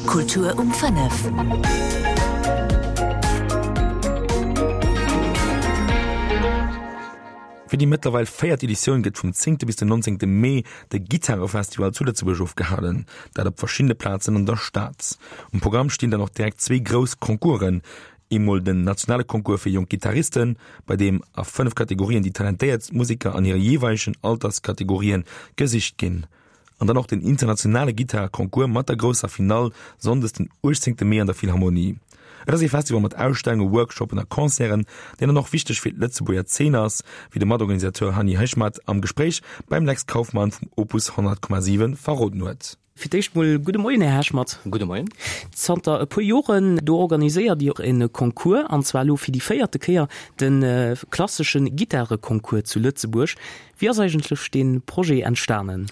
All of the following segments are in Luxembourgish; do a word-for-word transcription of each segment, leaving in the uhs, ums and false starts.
Kultur um fënnef. Fir déi mëttlerweil véiert Editioun gëtt vum zéngte bis den nonzéngte Mee de Gittarefestival zu Lëtzebuerg ofgehalen, dat op verschiddene Plazen an der Stad. Um Programm stinn dann och direkt zwee grouss Concoursen, eemol den nationale Concours fir jonk Gittaristen, bei deem a fënnef Kategorien déi talentéiertst Museker an hire jeeweilegen Alterskategorien gesicht ginn. An dann och den internationale Gittar-Concours mat der grousser Finall sonndes den uechtzéngte Mee an der Philharmonie. Et ass ee Festival mat Ausstellungen, Workshoppen a Concerten, deen dann och wichteg fir d'Lëtzebuerger Zeen ass, wéi de Matorganisateur Hanni Hechmat am Gespréich beim Lex Kauffmann vum Opus honnert Komma siwen verroden huet. Fir d'éischt mol gudde Moien, Här Hechmat. Gudde Moien. Zanter e puer Joren do organiséiert Dir e Concours, an zwar elo fir déi véierte Kéier, de klassesche Gittareconcours zu Lëtzebuerg. Wéi ass eigentlech dee Projet entstanen?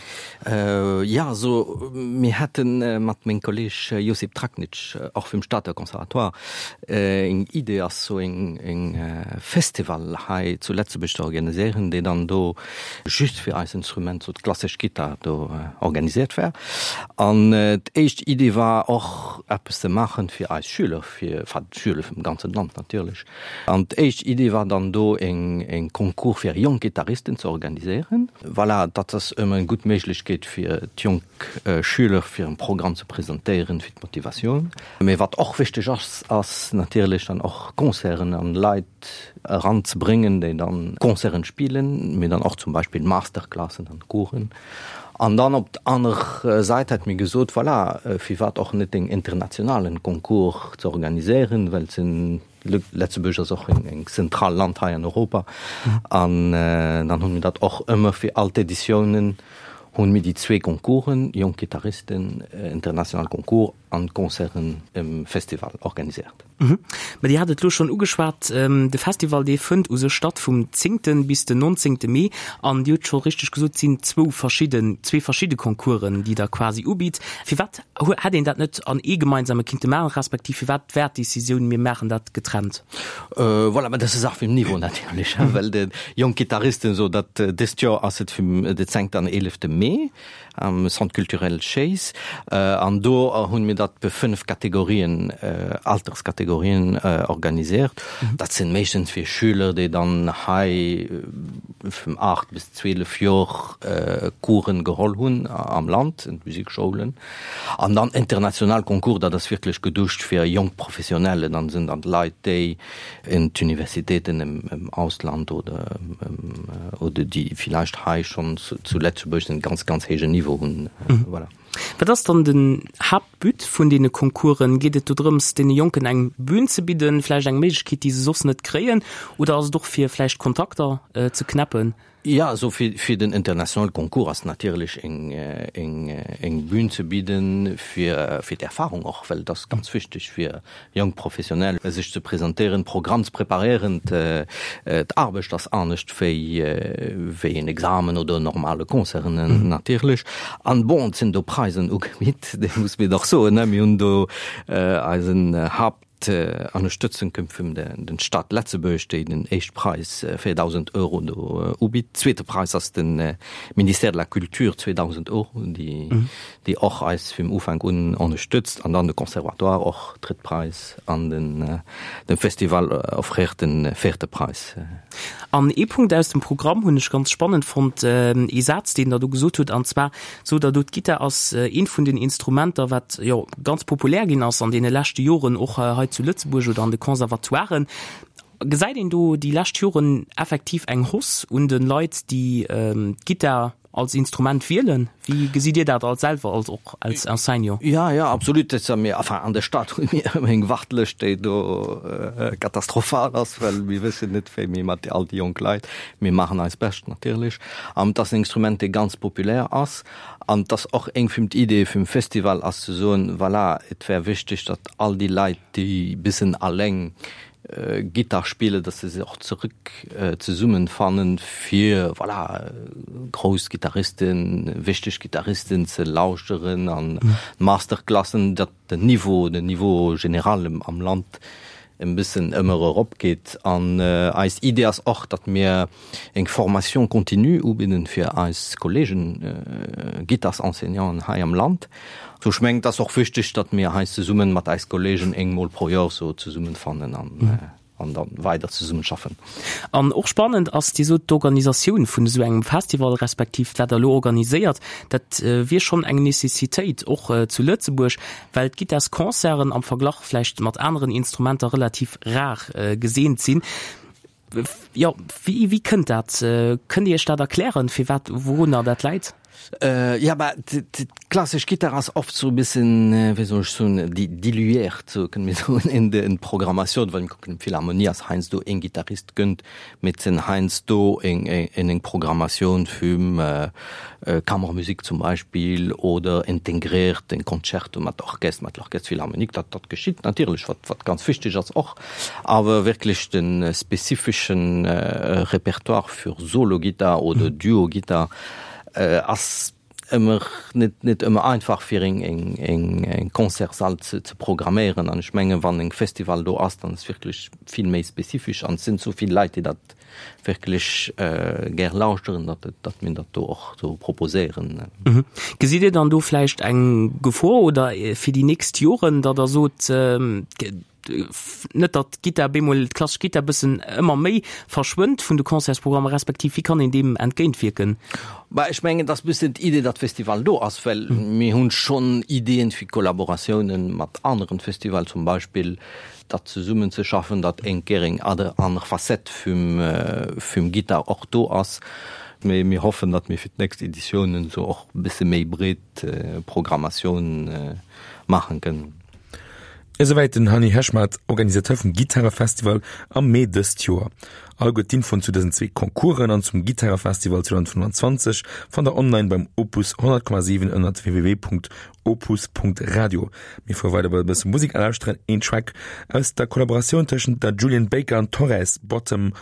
Jo, also mir hate mat mengem Kolleg Josip Traknic, och vum Stater Conservatoire, eng Idee ass sou eng Festival hei zu Letzebuerg ze organiséieren, déi dann do just fir eis Instrument, sou d'klassesch Gittar, do organiséiert wär. An d'éischt Idee war och eppes ze maachen fir eis Schüler, fir, enfin d'Schüler vum ganzen Land natierlech. An d'éischt Idee war dann do eng eng Concours fir jonk Gittaristen ze organiséieren. Voilà, dat ass ëmmer eng gutt Méiglechkeet fir d'jonk Schüler fir en Programm ze presentéieren, fir d'Motivatioun. Mee wat och wichteg ass, ass natierlech dann och Concerten an Leit eranzebréngen, déi dann Concerten spillen, mee dann och zum Beispill Masterclassen an Coursen. An dann op d'aner Säit hätt mir gesot, voilà, firwat och net en internationalen Concours ze organiséieren, well sinn, Lëtzebuerg ass och eng zentral Land hei an Europa. An dann hunn mir dat och ëmmer fir all d'Editiounen hunn mir déi zwee Concoursen, Jonk Gitarristen, international Concours an Concerten um Festival organiséiert. Mä Dir hat et elo schonn ugeschwat, de Festival dee fënnt u sech statt vum zéngten bis den nonzéngte Mee an Dir hutt scho richteg gesot, et sinn zwou verschidden, zwee verschidde Concoursen, déi Der quasi ubitt. Firwat hätt een dat net an ee gemeinsame kinnte maachen, respektiv firwat war d'Decisioun, mir maachen dat getrennt? Voilà, mä dat ass e Saach vum Niveau natierlech, well de jonk Gittaristen, esou datt dëst Joer ass et vum de zéngten an eelefte Mee am Centre culturel Chase an do hunn mir dat be fënnef Kategorien, Alterskategorien organisiert. Dat sinn meeschtens fir Schüler, déi dann hei vum aacht bis zwielef Joer Coursen geholl hunn am Land, in d'Musikschoulen. An dann international Concours, dat ass wierklech geduecht fir jonk Professionelle, dann sinn dat Leit, déi in d'Universitéiten im Ausland oder oder déi villäicht hei schonn zu Lëtzebuerg en ganz, ganz héijen Niveau hunn. Voilà. Wat ass dann den Haaptbut vun deene Concoursen? Geet et do drëms, deene Jonken eng Bühn ze bidden, vläicht eng Méiglechkeet, déi se soss net kréien, oder ass et och fir vläicht Kontakter ze knäppen? Ja, also fir, fir den internationale Concours ass natierlech eng, eng, eng Bühn ze bidden fir, fir d'Erfahrung och, well et ass ganz wichteg fir jonk Professionell sech ze presentéieren, Programm ze preparéieren. D'Aarbecht ass anescht wéi, wéi en Examen oder en normale Concert natierlech. An bon, et sinn do Preisen ugebitt, dat muss mir dach soen, ne. Mir hunn do eisen Haupt, D'Ënnerstëtzung kënnt vum den Stad Letzebuerg, déi den éischt Präis, véierdausend Euro, do ubitt. Zweete Präis ass de Ministère de la Culture, zweedausend Euro, déi déi och eis vum Ufank un ënnerstëtzt. An dann de Conservatoire och, drëtt Präis, an den de Festival offréiert de véierte Präis. An ee Punkt aus dem Programm hunn ech ganz spannend fonnt, ee Saz, deen Der do gesot hutt, an zwar sot Der do, d'Gittar ass eent vun den Instrumenter, wat jo ganz populär ginn ass an deene leschte Joren, och hei zu Lëtzebuerg oder an de Conservatoiren. Gesäit een do déi lescht Joren effektiv eng Hausse un de Leit, déi d'Gittar als Instrument wielen? Wéi gesitt Dir dat als selwer als och als Enseignant? Ja, ja, absolut. Dat mir, enfin, an der Stad hu mir ëmmer eng Wartelëscht, déi do katastrophal ass, well mir wëssen net, wéi mir mat all déi jonk Leit, mir maachen eist Bescht natierlech. An et ass en Instrument, dee ganz populär ass. An et ass och eng vum d'Idee vum Festival ass ze soen, voilà, et wär wichteg, datt all déi Leit, déi bissen alleng Gittar spillen, datt se sech och zerëck zesummenfannen, fir, voilà, grouss Gittaristen, wichteg Gittaristen ze lauschteren an Masterclassen, datt den Niveau, den Niveau général am Land e bëssen ëmmer eropgeet. An eis Idee ass och, datt mir eng Formation continue ubidden fir eis Kollegen Gittarenseignanten hei am Land. Sou ech mengen, et ass och wichteg, datt mir hei zesummen mat eis Kollegen eengmol pro Joer sou zesummenfannen an an dann weider zesummenschaffen. An och spannend ass, Dir sot, d'Organisatioun vun esou engem Festival, respektiv wat Der elo organiséiert, dat wier schonn eng Necessitéit och zu Lëtzebuerg, well d'Gittarsconcerten am Verglach vläicht mat aneren Instrumenter relativ rar geseent sinn. Jo, wéi, wéi kënnt dat? Kënnt Dir Iech dat erklären, firwat, wourunner dat läit? Ja, bah, d'klassesch Gittar ass oft sou e bëssen, wéi soll ech soen, diluiert, sou kënne mir soen, in de Programmatioun. Wann kucken, Philharmonie ass heiansdo een Gittarist gënnt, mee et sinn heiansdo eng eng Programmatioun vum Kammermusik zum Beispill oder integréiert en Concerto mat Orchester, mat l'Orchestre Philharmonique. Dat dat geschitt natierlech, wat wat ganz wichteg ass och, awer wierklech de spezifeschen Repertoire fir Solo-Gittar oder Duo-Gittar ass ëmmer net net ëmmer einfach fir eng eng eng eng Concertssall ze ze programméieren. An ech menge wann eng Festival do ass, dann ass wierklech vill méi spezifesch an et sinn esou vill Leit, déi dat wierklech gär lauschteren, datt et datt mir dat do och sou proposéieren. Gesitt Dir dann do vläicht eng Gefor oder fir déi nächst Joren, datt Der sot, net datt d'Gittar bemol, d'klassesch Gittar bëssen ëmmer méi verschwënnt vun de Concertsprogrammer, respektiv wéi kann een deem entgéintwierken? Bah, ech mengen, et ass bëssen d'Idee, datt Festival do ass, well mir hunn schonn Ideeën fir Kollaboratiounen mat aneren Festival, zum Beispill datt zesummen ze schaffen, datt eng Kéier eng aner Facette vum vum Gittar och do ass. Mee mir hoffen, datt mir fir d'nächst Editiounen esou och e bësse méi breet Programmatioun maachen kënnen. Esouwäit den Hanni Heshmat, Organisateur vum Gittarefestival am Mee dëst Joer. Alleguer d'Infoen zu dësen zwee Concoursen an zum Gittarefestival zweedausendfënnwanzwanzeg fannt der online beim Opus honnert Komma siwen ënnert www.opus.radio. Mir fuere weider bei e bësse Musek a lauschteren een Track aus der Kollaboratioun tëschent der Julien Baker an Torres, Bottom.